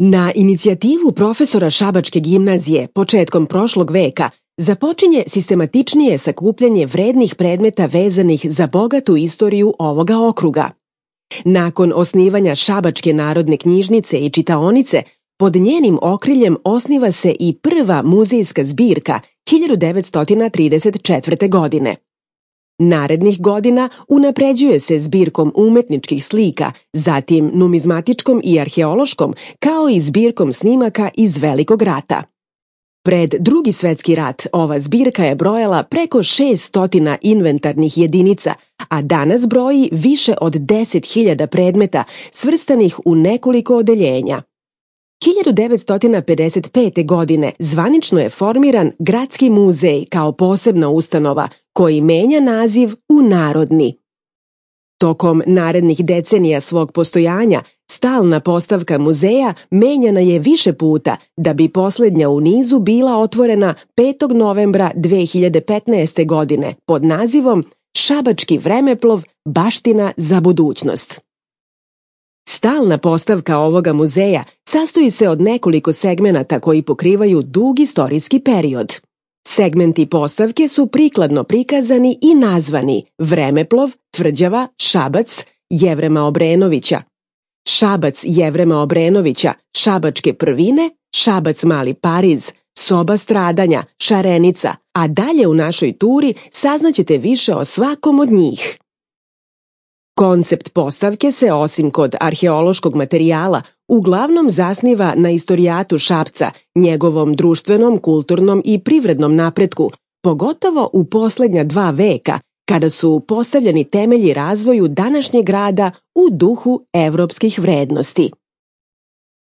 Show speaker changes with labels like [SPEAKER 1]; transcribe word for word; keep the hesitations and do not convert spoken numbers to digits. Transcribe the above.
[SPEAKER 1] Na inicijativu profesora Šabačke gimnazije početkom prošlog veka započinje sistematičnije sakupljanje vrednih predmeta vezanih za bogatu istoriju ovoga okruga. Nakon osnivanja Šabačke narodne knjižnice i čitaonice, pod njenim okriljem osniva se i prva muzejska zbirka hiljadu devetsto trideset četvrte. godine. Narednih godina unapređuje se zbirkom umetničkih slika, zatim numizmatičkom i arheološkom, kao i zbirkom snimaka iz Velikog rata. Pred Drugi svetski rat ova zbirka je brojala preko šesto inventarnih jedinica, a danas broji više od deset hiljada predmeta svrstanih u nekoliko odeljenja. hiljadu devetsto pedeset pete. godine zvanično je formiran Gradski muzej kao posebna ustanova koji menja naziv u Narodni. Tokom narednih decenija svog postojanja stalna postavka muzeja menjana je više puta da bi poslednja u nizu bila otvorena petog novembra dve hiljade petnaeste. godine pod nazivom Šabački vremeplov – baština za budućnost. Stalna postavka ovoga muzeja sastoji se od nekoliko segmenata koji pokrivaju dug istorijski period. Segmenti postavke su prikladno prikazani i nazvani Vremeplov, Tvrđava, Šabac, Jevrema Obrenovića, Šabac Jevrema Obrenovića, Šabačke prvine, Šabac Mali Pariz, Soba stradanja, Šarenica, a dalje u našoj turi saznaćete više o svakom od njih. Koncept postavke se, osim kod arheološkog materijala, uglavnom zasniva na istorijatu Šapca, njegovom društvenom, kulturnom i privrednom napretku, pogotovo u poslednja dva veka, kada su postavljeni temelji razvoju današnjeg grada u duhu evropskih vrednosti.